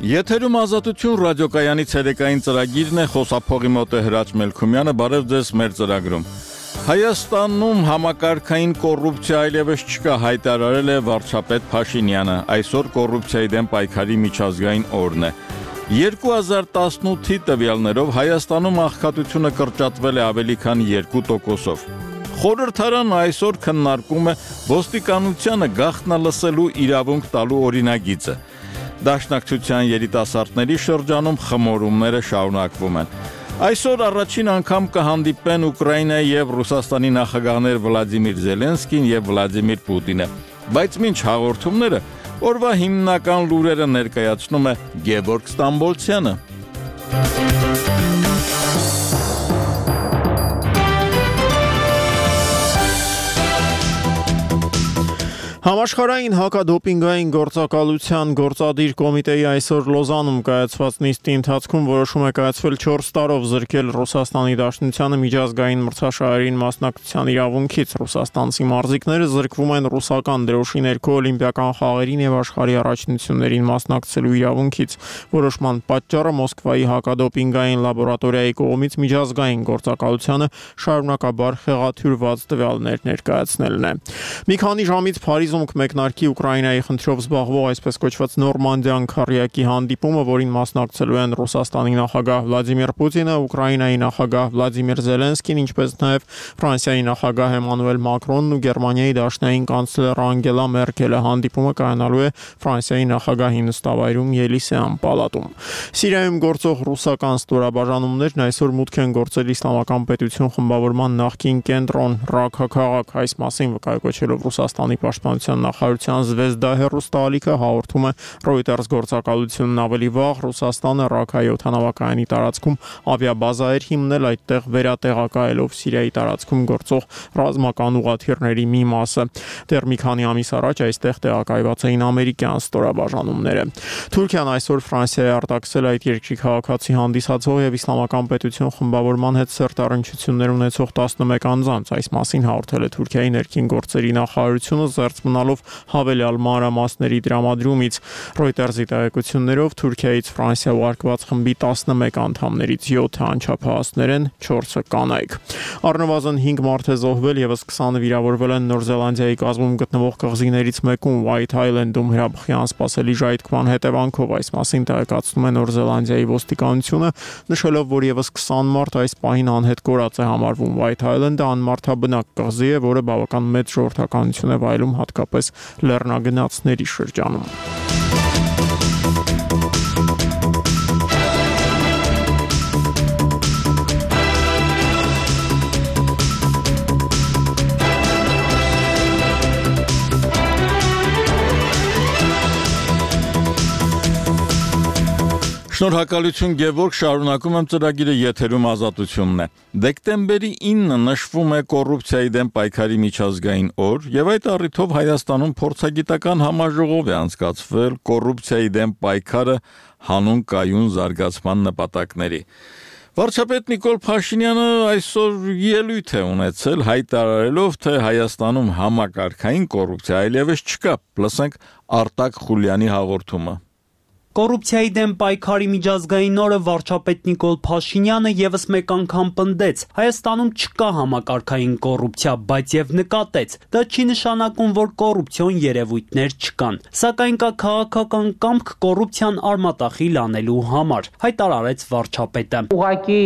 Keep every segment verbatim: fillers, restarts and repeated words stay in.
Եթերում ազատություն ռադիոկայանի ցերեկային ծրագիրն է, խոսափողի մոտ է Հրաչ Մելքումյանը, բարև ձեզ մեր ծրագրում։ Հայաստանում համակարգային կոռուպցիա այլևս չկա, հայտարարել է վարչապետ Փաշինյանը, այսօր կոռուպցիայի դեմ պայքարի միջազգային օրն է։ երկու հազար տասնութի տվյալներով Հայաստանում աղքատությունը կրճատվել է ավելի քան երկու տոկոսով։ Խորհրդարանը այսօր քննարկում է ոստիկանությանը գաղտնալսելու իրավունք տալու օրինագիծը։ Դաշնակցության երիտասարդների շրջանում խմորումները շարունակվում են։ Այսօր առաջին անգամ կհանդիպեն Ուկրաինայի եւ Ռուսաստանի նախագահներ Վլադիմիր Զելենսկին եւ Վլադիմիր Պուտինը, բայց մինչ հաղորդումները օրվա հիմնական լուրերը ներկայացնում է Գևորգ Ստամբոլցյանը։ Համաշխարհային հակադոպինգային գործակալության գործադիր կոմիտեի այսօր Լոզանում կայացված նիստի ընթացքում որոշում է կայացվել չորս տարով զրկել Ռուսաստանի Դաշնությանը միջազգային մրցաշարերին մասնակցության իրավունքից։ Ռուսաստանցի մարզիկները զրկվում են ռուսական դրոշի ներքո օլիմպիական խաղերին եւ աշխարհի առաջնություններին մասնակցելու իրավունքից։ Որոշման պատճառը Մոսկվայի հակադոպինգային լաբորատորիայի կողմից միջազգային գործակալությանը շարունակաբար խեղաթյուրված տվյալներ ներկայացնելն է։ Մի քանի ժամից Փարիզում մեկնարկի Ուկրաինայի խնդրով զբաղվող այսպես կոչված Նորմանդիան քառյակի հանդիպումը, որին մասնակցելու են Ռուսաստանի նախագահ Վլադիմիր Պուտինը, Ուկրաինայի նախագահ Վլադիմիր Զելենսկին, ինչպես նաև Ֆրանսիայի նախագահ Էմանուել Մակրոնն ու Գերմանիայի դաշնային կանցլեր Անգելա Մերկելը։ Հանդիպումը կայանալու է Ֆրանսիայի նախագահի նստավայրում Ելիսեան պալատում։ Սիրիայում գործող ռուսական ստորաբաժանումներն այսօր մուտք են գործել Իսլամական պետություն խմբավորման նախկին կենտրոն Ռաքա քաղաք։ Այս մասին վկայակոչելով Ռուսաստանի պաշտպանության նախարարության Զվեզդա հեռուստաալիքը հաղորդում է Reuters գործակալությունն ավելի վաղ Ռուսաստանը Ռաքայի օդանավակայանի տարածքում ավիաբազա էր հիմնել, այդտեղ վերատեղակայելով Սիրիայի տարածքում գործող ռազմական ուղղաթիռների մի մասը։ Դեռ մի քանի ամիս առաջ այստեղ տեղակայված էին ամերիկյան ստորաբաժանումները։ Թուրքիան այսօր Ֆրանսիայի արտաքսել այդ երկրի քաղաքացի հանդիսացող եւ Իսլամական պետություն խմբավորման հետ սերտառնչություններ ունեցող տասնմեկ անձանց։ Այս մասին հաղորդել է Թուրքիայի ներքին գործերի նախարարությունը, զերծ մնալով հավելյալ մանրամասների տրամադրումից։ Reuters-ի տեղեկություններով Թուրքիայից Ֆրանսիա ուղարկված խմբի տասնմեկ անդամներից յոթը անչափահասներ են, չորսը կանայք։ Առնվազն հինգ մարդ է զոհվել, եւս քսանը վիրավորվել են Նոր Զելանդիայի կազմում գտնվող կղզիներից մեկում White Island-ում հրաբխի անսպասելի ժայթքման հետևանքով։ Այս մասին տեղեկացնում է Նոր Զելանդիայի ոստիկանությունը, նշելով, որ եւս քսան մարդ այս պահին անհետ կորած է համարվում։ White Island-ը անմարդաբնակ կղզի է, որը բավական մեծ ժողովրդականություն է վայելում հատկապես լեռնագնացների շրջանում։ Շնորհակալություն Գևորգ, շարունակում եմ ծրագիրը, եթերում ազատությունն է։ Դեկտեմբերի ինը նշվում է կոռուպցիայի դեմ պայքարի միջազգային օր, եւ այդ առիթով Հայաստանում փորձագիտական համաժողով է անցկացվել կոռուպցիայի դեմ պայքարը հանուն կայուն զարգացման նպատակների։ Վարչապետ Նիկոլ Փաշինյանը այսօր ելույթ է ունեցել, հայտարարելով, թե Հայաստանում համակարգային կոռուպցիա այլևս չկա։ Լսենք Արտակ Խուլյանի հաղորդումը։ Կոռուպցիայի դեմ պայքարի միջազգային օրը վարչապետ Նիկոլ Փաշինյանը եւս մեկ անգամ պնդեց. Հայաստանում չկա համակարգային կոռուպցիա, բայց եւ նկատեց. դա չի նշանակում, որ կոռուպցիոն երևույթներ չկան, սակայն կա քաղաքական կամք կոռուպցիան արմատախիլ անելու համար, հայտարարեց վարչապետը։ Ուղղակի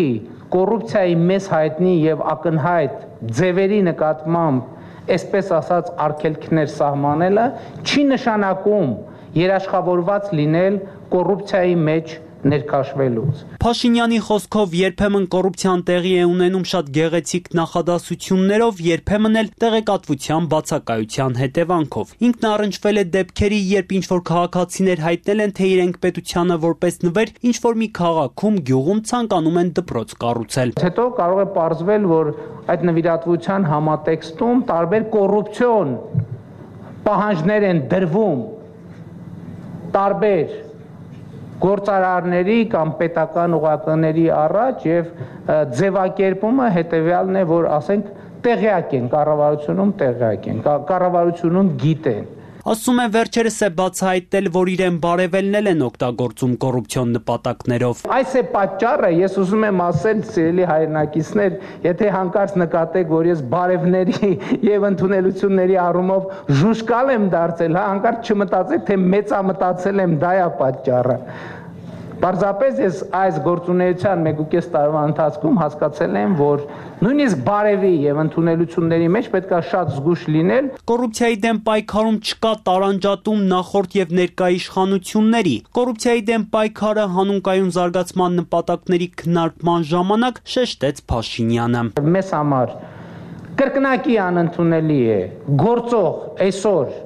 կոռուպցիայի մեծ հայտնի եւ ակնհայտ ձևերի նկատմամբ, այսպես ասած, արգելքներ սահմանելը չի նշանակում երաշխավորված լինել կոռուպցիայի մեջ ներքաշվելուց։ Փաշինյանի խոսքով երբեմն կոռուպցիան տեղի է ունենում շատ գեղեցիկ նախադասություններով, երբեմն էլ տեղեկատվության բացակայության հետևանքով։ Ինքն առնչվել է դեպքերի, երբ ինչ-որ քաղաքացիներ հայտնել են, թե իրենք պետությանը որպես նվեր ինչ-որ մի քաղաքում, գյուղում ցանկանում են դպրոց կառուցել։ Հետո կարող է պարզվել, որ այդ նվիրատվության համատեքստում տարբեր կոռուպցիոն պահանջներ են դրվում տարբեր գործարարների կամ պետական ուղղականների առաջ եւ ձևակերպումը հետեւյալն է, որ ասենք տեղյակ են, կառավարությունում տեղյակ են, կառավարությունում գիտեն Ասում է վերջերս է բացահայտել, որ իրեն բարևելն են օգտագործում կոռուպցիոն նպատակներով։ Այս է պատճառը, ես ուզում եմ ասել, սիրելի հայրենակիցներ, եթե հանկարծ նկատեք, որ ես բարևների եւ ընդունելությունների առումով ժուշկալ եմ դարձել, հա, հանկարծ չմտածեք, թե մեծամտածել եմ, դա է պատճառը։ Պարզապես ես այս գործունեության մեկ ու կես տարվա ընթացքում հասկացել եմ, որ նույնիսկ բարևի եւ ընդունելությունների մեջ պետք է շատ զգուշ լինել։ Կոռուպցիայի դեմ պայքարում չկա տարանջատում նախորդ եւ ներկա իշխանությունների։ Կոռուպցիայի դեմ պայքարը հանուն կայուն զարգացման նպատակների քննարկման ժամանակ շեշտեց Փաշինյանը։ Մեզ համար կրկնակի անընդունելի է գործող այսօր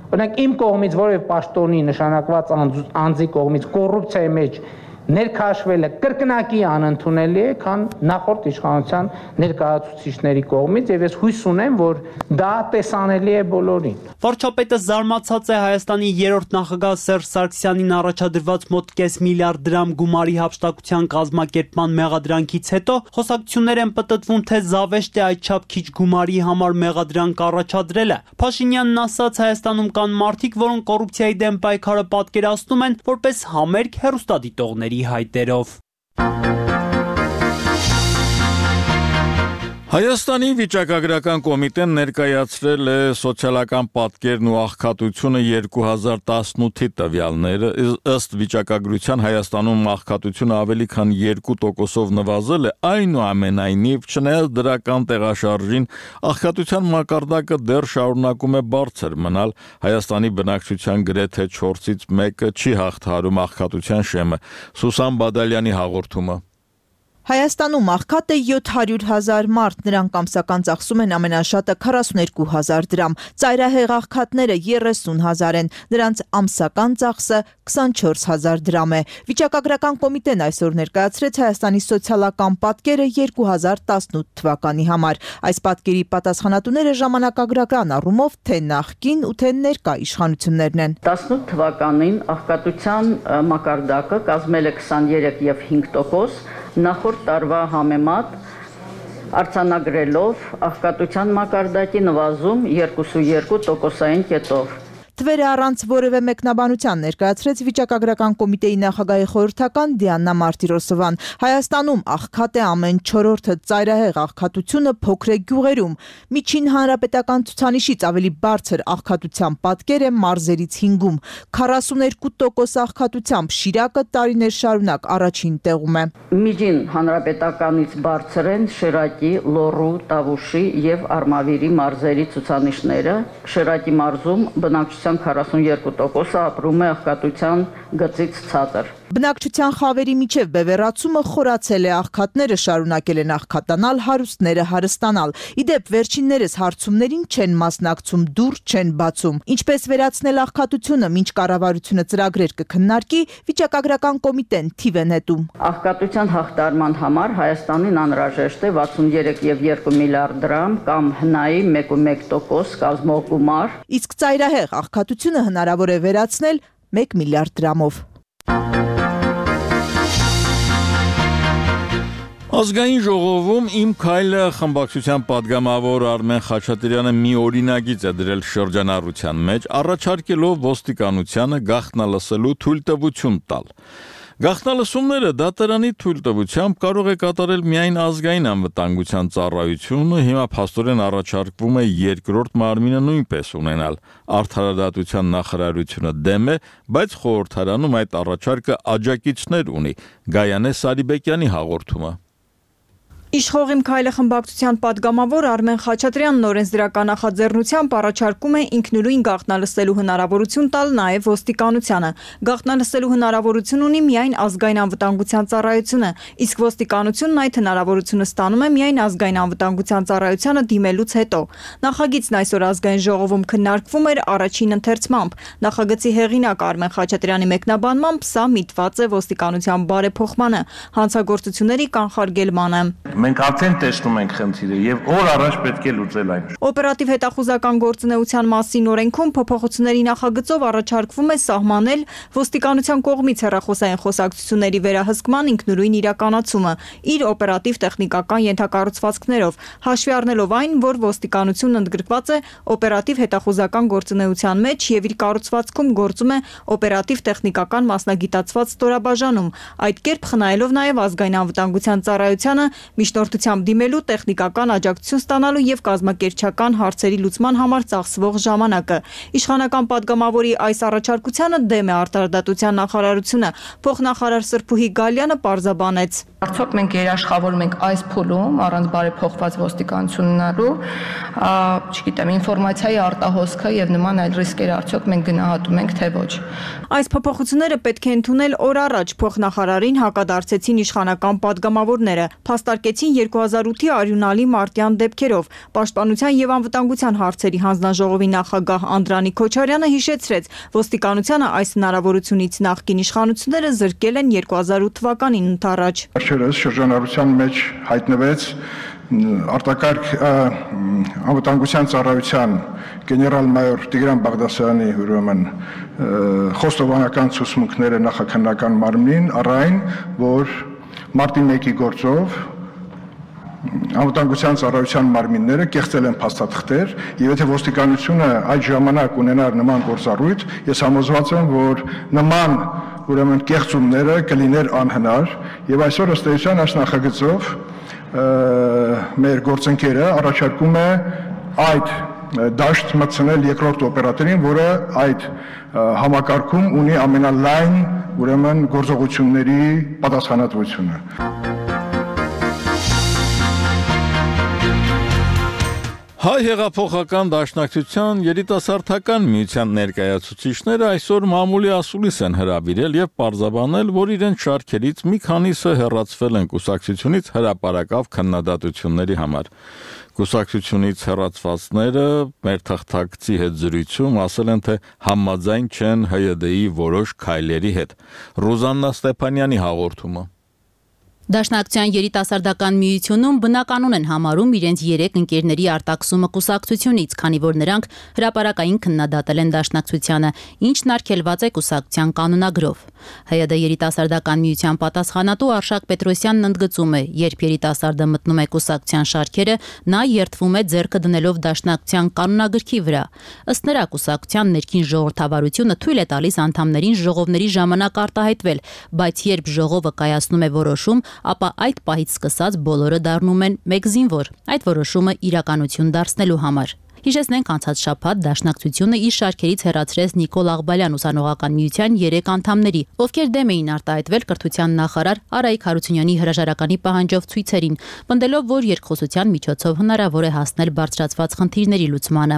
Օրինակ իմ կողմից որևէ պաշտոնի նշանակված անձի կողմից կոռուպցիայի մեջ ներքաշվելը կրկնակի անընդունելի է, քան նախորդ իշխանության ներկայացուցիչների կողմից եւ ես հույս ունեմ, որ դա տեսանելի է բոլորին։ Վարչապետը զարմացած է Հայաստանի երրորդ նախագահ Սերժ Սարգսյանին առաջադրված մոտ կես միլիարդ դրամ գումարի հափշտակության կազմակերպման մեղադրանքից հետո խոսակցություններ են պտտվում, թե զավեշտ է այդչափ քիչ գումարի համար մեղադրանք առաջադրելը։ Փաշինյանն ասաց, Հայաստանում կան մարդիկ, որոնք կոռուպցիայի դեմ պայքարը պատկերացնում են որպես համերգ հեռուստադիտողների հայտերով։ Հայաստանի վիճակագրական կոմիտեն ներկայացրել է սոցիալական պատկերն ու աղքատությունը երկու հազար տասնութի տվյալները, ըստ վիճակագրության Հայաստանում աղքատությունը ավելի քան երկու տոկոսով նվազել է, այնուամենայնիվ, չնայած դրական տեղաշարժին, աղքատության մակարդակը դեռ շարունակում է բարձր մնալ, Հայաստանի բնակչության գրեթե չորսից մեկը չի հաղթահարում աղքատության շեմը։ Սուսան Բադալյանի հաղորդումը։ Հայաստանում աղքատ է յոթ հարյուր հազար մարդ, նրանք ամսական ծախսում են ամենաշատը քառասուներկու հազար դրամ, ծայրահեղ աղքատները երեսուն հազար են, նրանց ամսական ծախսը քսանչորս հազար դրամ է։ Վիճակագրական կոմիտեն այսօր ներկայացրեց Հայաստանի սոցիալական պատկերը երկու հազար տասնութ թվականի համար։ Այս պատկերի պատասխանատուները ժամանակագրական առումով թե նախկին ու թե ներկա իշխանություններն են։ տասնութ թվականին աղքատության մակարդակը կազմել է քսաներեք եւ հինգ տոկոս, նախորդ տարվա համեմատ արձանագրելով աղքատության մակարդակի նվազում երկուսուերկու տոկոսային կետով։ Թվերը առանց որևէ մեկնաբանության ներկայացրեց վիճակագրական կոմիտեի նախագահի խորհրդական Դիանա Մարտիրոսովան։ Հայաստանում աղքատ է ամեն չորրորդը, ծայրահեղ աղքատությունը փոքր է գյուղերում։ Միջին հանրապետական ցուցանիշից ավելի բարձր աղքատության պատկեր է մարզերից հինգում։ քառասուներկու տոկոս աղքատությամբ Շիրակը տարիներ շարունակ առաջին տեղում է։ Միջին հանրապետականից բարձր են Շիրակի, Լոռու, Տավուշի եւ Արմավիրի մարզերի ցուցանիշները։ Շիրակի մարզում բնակչության քառասուներկու տոկոսը ապրում է աղքատության գծից ցածր։ Բնակչության խավերի միջև բևեռացումը խորացել է, աղքատները շարունակել են աղքատանալ, հարուստները հարստանալ։ Իդեպ վերջիններս հարցումներին չեն մասնակցում, դուռ չեն բացում։ Ինչպես վերացնել աղքատությունը, մինչ կառավարությունը ծրագրեր կքննարկի, վիճակագրական կոմիտեն թիվ է նետում։ Աղքատության հաղթարման համար Հայաստանին անհրաժեշտ է վաթսուներեք եւ երկու միլիարդ դրամ կամ հնայի մեկ ու մեկ տոկոս կազմող գումար։ Իսկ ծայրահեղ աղքատությունը հնարավոր է վերացնել մեկ միլիարդ դրամով։ Ազգային ժողովում «Իմ քայլը» խմբակցության պատգամավոր Արմեն Խաչատրյանը մի օրինագիծ է դրել շրջանառության մեջ, առաջարկելով ոստիկանությանը գաղտնալսելու թույլտվություն տալ։ Գաղտնալսումները դատարանի թույլտվությամբ կարող է կատարել միայն ազգային անվտանգության ծառայությունը, հիմա փաստորեն առաջարկվում է երկրորդ մարմինը նույնպես ունենալ։ Արդարադատության նախարարությունը դեմ է, բայց խորհրդարանում այդ առաջարկը աջակիցներ ունի։ Գայանե Սարիբեկյանի հաղորդումը։ Իշխող «Իմ քայլը» խմբակցության պատգամավոր Արմեն Խաչատրյանն օրենսդրական նախաձեռնությամբ առաջարկում է ինքնուրույն գաղտնալսելու հնարավորություն տալ նաև ոստիկանությանը։ Գաղտնալսելու հնարավորություն ունի միայն ազգային անվտանգության ծառայությունը, իսկ ոստիկանությունն այդ հնարավորությունը ստանում է միայն ազգային անվտանգության ծառայությանը դիմելուց հետո։ Նախագիծն այսօր ազգային ժողովում քննարկվում էր առաջին ընթերցմամբ։ Նախագծի հեղինակ Արմեն Խաչատրյանի մեկնաբանմամբ սա միտված է ոստիկանության բարեփոխմանը, հանցագործությունների կանխարգելմանը։ Մենք արդեն տեսնում ենք խնդիրը եւ օր առաջ պետք է լուծել այն։ Օպերատիվ հետախուզական գործունեության մասին օրենքում փոփոխությունների նախագծով առաջարկվում է սահմանել ոստիկանության կողմից հեռախոսային խոսակցությունների վերահսկման ինքնուրույն իրականացումը իր օպերատիվ տեխնիկական ենթակառուցվածքներով, հաշվի առնելով այն, որ ոստիկանությունն ընդգրկված է օպերատիվ հետախուզական գործունեության մեջ եւ իր կառուցվածքում գործում է օպերատիվ տեխնիկական մասնագիտացված ստորաբաժանում, այդ կերպ խնայելով նաեւ ազգային անվտանգության ծառայությանը միջնորդությամբ դիմելու տեխնիկական աջակցություն ստանալու եւ կազմակերպչական հարցերի լուծման համար ծախսվող ժամանակը։ Իշխանական падգամավորի այս առաջարկությանը դեմ է արտարդատության նախարարությունը։ Փոխնախարար Սրփուհի Գալյանը պարզաբանեց. Արդյոք մենք երաշխավորում ենք այս փուլում առանց բարեփոխված ոստիկանություն ունենալու, չգիտեմ, ինֆորմացիայի արտահոսքը եւ նման այլ ռիսկեր արդյոք մենք գնահատում ենք թե ոչ։ Այս փոփոխությունները պետք է ընդունել օր առաջ փոխնախարարին հակադարձեցին իշխանական падգամավորները, փաստարկեցին երկու հազար ութի արյունալի մարտյան դեպքերով։ Պաշտպանության եւ անվտանգության հարցերի հանձնաժողովի նախագահ Անդրանիկ Քոչարյանը հիշեցրեց, ոստիկանությանը այս հնարավորությունից նախկին իշխանությունները զրկել են երկու հազար ութ թվականին ընդառաջ։ Վերջերս շրջանառության մեջ հայտնվեց արտակարգ անվտանգության ծառայության գեներալ-մայոր Տիգրան Բաղդասարյանի ուրեմն խոստովանական ցուցմունքները նախաքննական մարմնին առայն, որ մարտի մեկի գործով անվտանգության ծառայության մարմինները կեղծել են փաստաթղթեր եւ եթե ոստիկանությունը այդ ժամանակ ունենար նման գործառույթ, ես համոզված եմ, որ նման ուրեմն կեղծումները կլիներ անհնար եւ այսօր ըստ էության այս նախագծով մեր գործընկերը առաջարկում է այդ դաշտ մտցնել երկրորդ օպերատորին, որը այդ համակարգում ունի ամենալայն ուրեմն գործողությունների պատասխանատվությունը։ Հայ հեղափոխական դաշնակցության երիտասարդական միության ներկայացուցիչները այսօր մամուլի ասուլիս են հրավիրել եւ պարզաբանել, որ իրենց շարքերից մի քանիսը հեռացվել են կուսակցությունից հրապարակավ քննադատությունների համար։ Կուսակցությունից հեռացվածները մեր թղթակցի հետ զրույցում ասել են, թե համաձայն չեն Հ Յ D-ի որոշ քայլերի հետ։ Ռուզաննա Ստեփանյանի հաղորդումը։ Դաշնակցության երիտասարդական միությունում բնականon են համարում իրենց երեք ընկերների արտաքսումը կուսակցությունից, քանի որ նրանք հրապարակային քննադատել են դաշնակցությանը, ինչն արգելված է կուսակցության կանոնագրով։ Հ Յ D երիտասարդական միության պատասխանատու Արշակ Պետրոսյանն ընդգծում է, երբ երիտասարդը մտնում է կուսակցության շարքերը, նա երթվում է ձեռքը դնելով դաշնակցության կանոնագրքի վրա։ Ըստ նրա, կուսակցության ներքին ժողովրդավարությունը թույլ է տալիս անդամներին ժողովների ժամանակ արտահայտվել, բայց երբ ժողովը կայացնում է որոշում, ապա այդ պահից սկսած բոլորը դառնում են մեկ զինվոր, այդ որոշումը իրականություն դարձնելու համար։ Հիշեցնենք անցած շաբաթ դաշնակցությունը իր շարքերից հեռացրեց Նիկոլ Աղբալյան ուսանողական միության երեք անդամների, ովքեր դեմ էին արտահայտվել կրթության նախարար Արայիկ Հարությունյանի հրաժարականի պահանջով ցույցերին, պնդելով, որ երկխոսության միջոցով հնարավոր է հասնել բարձրացված խնդիրների լուծմանը։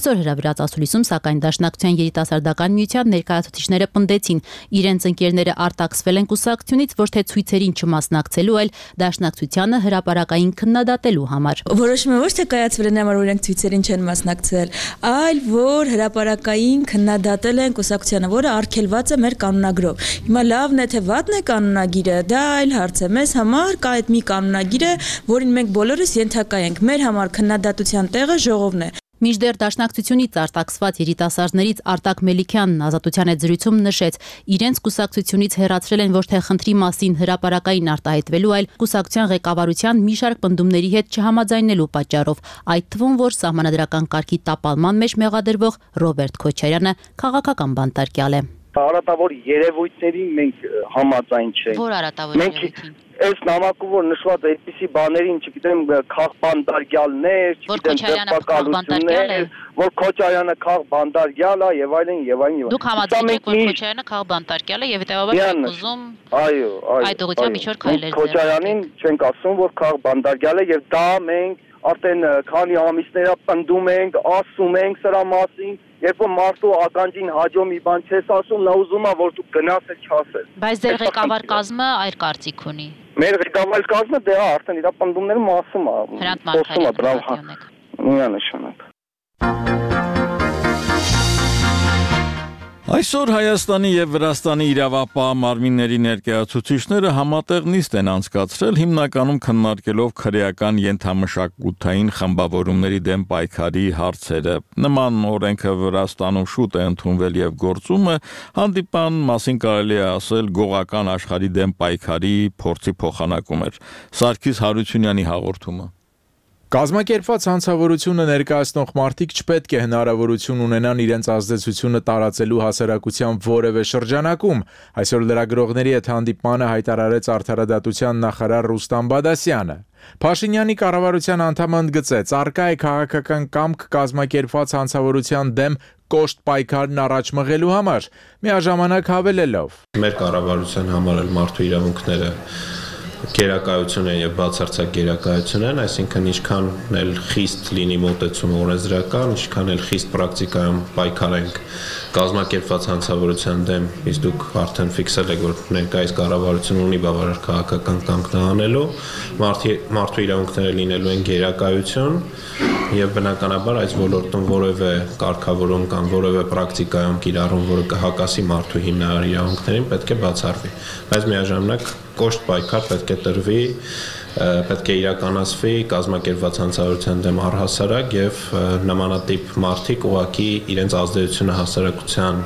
Այսօր հրավիրած ասուլիսում, սակայն դաշնակցության երիտասարդական միության ներկայացուցիչները պնդեցին, իրենց ընկերները արտաքսվել են կուսակցությունից ոչ թե ցույցերին չմասնակցելու, այլ դաշնակցությանը հրապարակային քննադատելու համար։ Որոշումը ոչ թե կայացվել է նամար օրենք ցույցերին չեն մասնակցել, այլ որ հրապարակային քննադատել են կուսակցությանը, որը արգելված է մեր կանոնագրով։ Հիմա լավն է թե վատն է կանոնագիրը, դա այլ հարց է։ Մեզ համար կա այդ մի կանոնագիր է, որին մենք բոլորս ենթակա ենք։ Մեր համար քննադատության տեղը ժողովն է։ Մինչդեռ դաշնակցությունից արտաքսված երիտասարդներից Արտակ Մելիքյանն Ազատության հետ զրույցում նշեց, իրենց կուսակցությունից հեռացրել են ոչ թե խնդրի մասին հրապարակային արտահայտվելու, այլ կուսակցության ղեկավարության մի շարք պնդումների հետ չհամաձայնելու պատճառով, այդ թվում, որ սահմանադրական կարգի տապալման մեջ մեղադրվող Ռոբերտ Քոչարյանը քաղաքական բանտարկյալ է։ Արատավոր երևույթներին մենք համաձայն չենք։ Որ արատավոր երևույթին։ Այս նամակում որ նշված է այդպիսի բաներին, չգիտեմ, քաղբանդարգյալներ, չգիտեմ, դեպակալություններ, որ Քոչարյանը քաղբանդարգյալ է եւ այլն եւ այլն եւ այլն։ Դուք համաձայն եք, որ Քոչարյանը քաղբանդարգյալ է եւ հետեւաբար եք ուզում այո, այո, այդ ուղղությամբ միջոր քայլեր։ Քոչարյանին չենք ասում, որ քաղբանդարգյալ է եւ դա մենք արդեն քանի ամիսներ պնդում ենք, ասում ենք սրա մասին, երբ որ մարդու ականջին հաջո մի բան չես ասում, նա ուզում է որ դու գնաս էլ չասես։ Բայց ձեր ղեկավար կազմը այլ կարծիք ունի։ Մեր ղեկավար կազմը դե արդեն իր պնդումներում ասում է։ Հրանտ Մարգարյանը։ Միանշանակ։ Այսօր Հայաստանի եւ Վրաստանի իրավապահ մարմինների ներկայացուցիչները համատեղ նիստ են անցկացրել, հիմնականում քննարկելով քրեական ենթամշակութային խմբավորումների դեմ պայքարի հարցերը։ Նման օրենքը Վրաստանում շուտ է ընդունվել եւ գործում է, հանդիպան մասին կարելի է ասել գողական աշխարհի դեմ պայքարի փորձի փոխանակում էր։ Սարգիս Հարությունյանի հաղորդումը։ Կազմակերպված հանցավորությունը ներկայացնող մարդիկ չպետք է հնարավորություն ունենան իրենց ազդեցությունը տարածելու հասարակության որևէ շրջանակում, այսօր լրագրողների հետ հանդիպմանը հայտարարեց Արդարադատության նախարար Ռուստամ Բադասյանը։ Փաշինյանի կառավարության անդամը ընդգծեց, առկա է քաղաքական կամք կազմակերպված հանցավորության դեմ կոշտ պայքարն առաջ մղելու համար, միաժամանակ հավելելով. Մեր կառավարության համար էլ մարդու իրավունքները գերակայություն են եւ բացարձակ գերակայություն են, այսինքն ինչքան էլ խիստ լինի մոտեցումը օրենսդրական, ինչքան էլ խիստ պրակտիկայում պայքարենք կազմակերպված հանցավորության դեմ, իսկ դուք արդեն ֆիքսել եք, որ ներկայիս կառավարությունը ունի բավարար քաղաքական կամք դա անելու, մարդու իրավունքները լինելու են գերակայություն եւ բնականաբար այս ոլորտում որևէ կարգավորում կամ որևէ պրակտիկայում կիրառում, որը կհակասի մարդու հիմնարար իրավունքներին, պետք է բացառվի, բայց միաժամանակ կոշտ պայքար պետք է տրվի, պետք է իրականացվի կազմակերպված հանցավորության դեմ առհասարակ եւ նմանատիպ մարդիկ ուղղակի իրենց ազդեցությունը հասարակության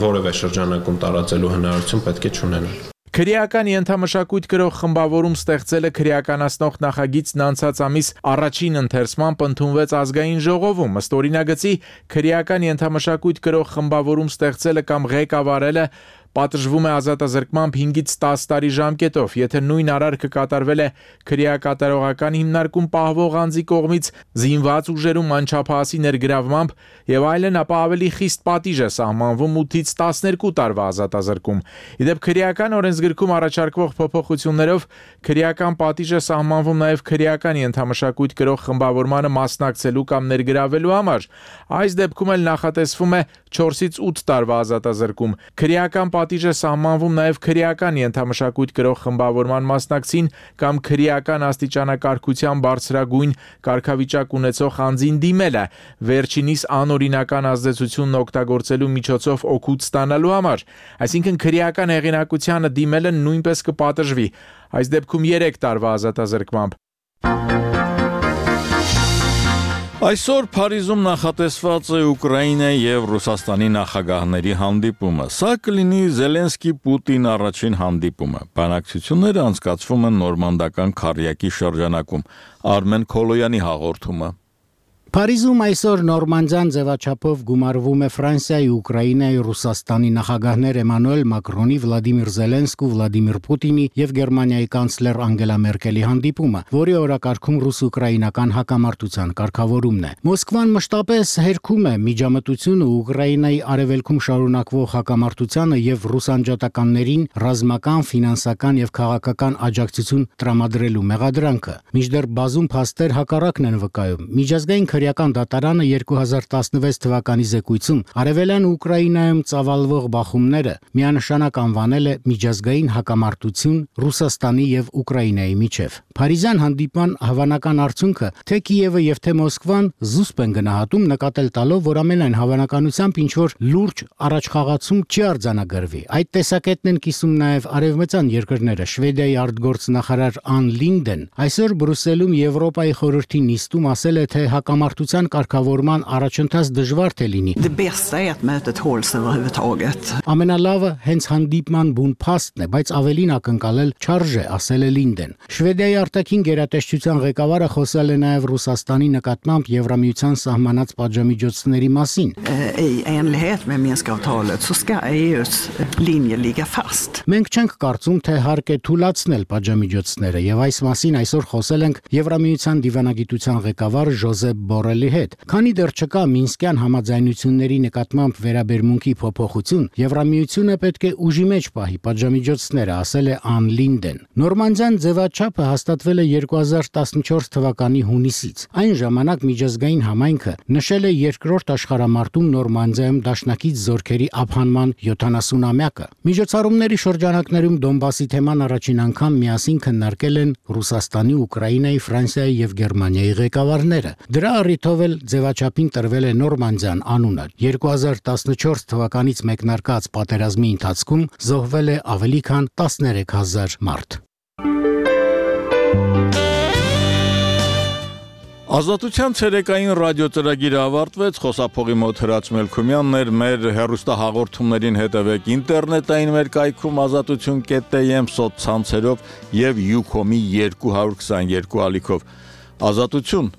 որևէ շրջանակում տարածելու հնարավորություն պետք է չունենան։ Քրեական ենթամշակույթ կրող խմբավորում ստեղծելը քրեականացնող նախագիծն անցած ամիս առաջին ընթերցմամբ ընդունվեց ազգային ժողովում, ըստ օրինագծի քրեական ենթամշակույթ կրող խմբավորում ստեղծելը կամ ղեկավարելը պատժվում է ազատազրկմամբ հինգից տաս տարի ժամկետով, եթե նույն արարքը կատարվել է քրեակատարողական հիմնարկում պահվող անձի կողմից զինված ուժերում անչափահասի ներգրավմամբ եւ այլն, ապա ավելի խիստ պատիժ է սահմանվում ութից տասներկու տարվա ազատազրկում։ Իդեպ քրեական օրենսգրքում առաջարկվող փոփոխություններով քրեական պատիժ է սահմանվում նաեւ քրեական ենթամշակույթ կրող խմբավորմանը մասնակցելու կամ ներգրավելու համար։ Այս դեպքում էլ նախատեսվում է չորսից ութ տարվա ազատազրկում։ Քրեական պատիժ է սահմանվում նաև քրեական ենթամշակույթ կրող խմբավորման մասնակցին կամ քրեական աստիճանակարգության բարձրագույն կարգավիճակ ունեցող անձին դիմելը, վերջինիս անօրինական ազդեցությունն օգտագործելու միջոցով օգուտ ստանալու համար, այսինքն քրեական հեղինակությանը դիմելը նույնպես կպատժվի, այս դեպքում երեք տարվա ազատազրկմամբ։ Այսօր Փարիզում նախատեսված է Ուկրաինայի եւ Ռուսաստանի նախագահների հանդիպումը։ Սա կլինի Զելենսկի-Պուտին առաջին հանդիպումը։ Բանակցությունները անցկացվում են նորմանդական քառյակի շրջանակում։ Արմեն Քոլոյանի հաղորդումը։ Փարիզում այսօր նորմանդյան ձևաչափով գումարվում է Ֆրանսիայի, Ուկրաինայի, Ռուսաստանի նախագահներ Էմանուել Մակրոնի, Վլադիմիր Զելենսկու, Վլադիմիր Պուտինի եւ Գերմանիայի կանցլեր Անգելա Մերկելի հանդիպումը, որի օրակարգում ռուս-ուկրաինական հակամարտության կարգավորումն է։ Մոսկվան մշտապես հերքում է միջամտությունը Ուկրաինայի արևելքում շարունակվող հակամարտությանը եւ ռուսանջատականներին ռազմական, ֆինանսական եւ քաղաքական աջակցություն տրամադրելու մեղադրանքը։ Մինչդեռ բազում փաստեր հակառակն են վկայում։ Միջազգային քրեական դատարանը երկու հազար տասնվեց թվականի զեկույցում արևելյան Ուկրաինայում ծավալվող բախումները միանշանակ անվանել է միջազգային հակամարտություն Ռուսաստանի եւ Ուկրաինայի միջև։ Փարիզյան հանդիպման հավանական արդյունքը թե Կիևը եւ թե Մոսկվան զուսպ են գնահատում, նկատել տալով, որ ամենայն հավանականությամբ ինչ որ լուրջ առաջխաղացում չի արձանագրվի։ Այդ տեսակետն են կիսում նաեւ արևմտյան երկրները։ Շվեդիայի արտգործնախարար Ան Լինդեն այսօր Բրյուսելում Եվրոպայի խորհրդի նիստում ասել է, թե հակամարտության կարգավորման առաջընթաց դժվար թե լինի։ Ամենալավը հենց հանդիպման բուն փաստն է, բայց ավելին ակնկալել չարժե, ասել է Լինդեն։ Շվեդիայի արտաքին գերատեսչության ղեկավարը խոսել է նաև Ռուսաստանի նկատմամբ Եվրամիության սահմանած պատժամիջոցների մասին։ Մենք չենք կարծում, թե հարկ է թույլատրել պատժամիջոցները, եւ այս մասին այսօր խոսել ենք Եվրամիության դիվանագիտության ղեկավար Ժոզեփ Բորելի հետ։ Քանի դեռ չկա Մինսկյան համաձայնությունների նկատմամբ վերաբերմունքի փոփոխություն, Եվրամիությունը պետք է ուժի մեջ պահի պատժամիջոցները, ասել է Ան Լինդեն։ Նորմանդյան ձևաչափը հաստատվել է երկու հազար տասնչորս թվականի հունիսից։ Այն ժամանակ միջազգային համայնքը նշել է երկրորդ աշխարհամարտում Նորմանդիայում դաշնակից զորքերի ափանման յոթանասունամյակը։ Միջոցառումների շրջանակներում Դոնբասի թեման առաջին անգամ միասին քննարկել են Ռուսաստանի, Ուկրաինայի, Ֆրանսիայի եւ Գերմանիայի ղեկավարները։ Դրա առիթով էլ ձևաչափին տրվել է Նորմանդիան անունը։ երկու հազար տասնչորս թվականից մեկնարկած պատերազմի ընթացքում զոհվել է ավելի քան տասներեք հազար մարդ։ Ազատության ցերեկային ռադիոծրագիրը ավարտվեց, խոսափողի մոտ Հրաչ Մելքումյանն էր, մեր հեռուստահաղորդումներին հետևեք ինտերնետային մեր կայքում ազատություն կետ տի էմ սոցցանցերով եւ Յուքոմի երկու հարյուր քսաներկու ալիքով։ Ազատություն